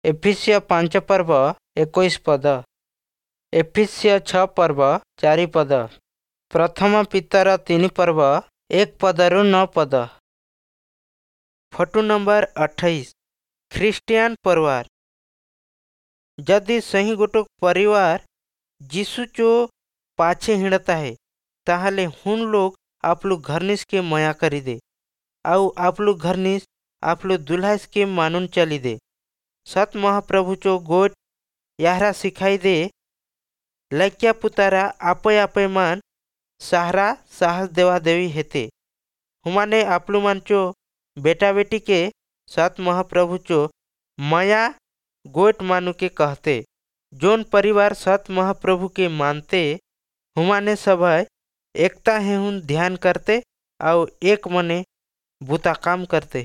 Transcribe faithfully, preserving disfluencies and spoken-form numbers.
ଏଫିସୀୟ ପାଞ୍ଚ ପର୍ବ ଏକୋଇଶ ପଦ। ଏଫିସୀୟ ଛଅ ପର୍ବ ଚାରି ପଦ। ପ୍ରଥମ ପିତର ତିନି ପର୍ବ ଏକ ପଦରୁ ନଅ ପଦ। ଫଟୋ ନମ୍ବର ଅଠେଇଶ, ଖ୍ରୀଷ୍ଟିଆନ ପରିବାର। ଯଦି सही गोटो परिवार जीशु चो पाछे हिंडता है, ताहले हुन लोग आपलो घरनिस के मया करी दे आउ आपलो घरनिस आपलो दुल्हास के मानुन चली दे। सत महाप्रभु चो गोट याहरा सिखाई दे, लैक्या पुतारा आपे आपे मान सहारा साहस देवा देवी हेते। हुमाने आपलु मान चो बेटा बेटी के सत महाप्रभु चो माया गोट मानु के कहते। जोन परिवार सत महाप्रभु के मानते, हुमाने सब एकता हे हुन ध्यान करते और एक मने बुता काम करते।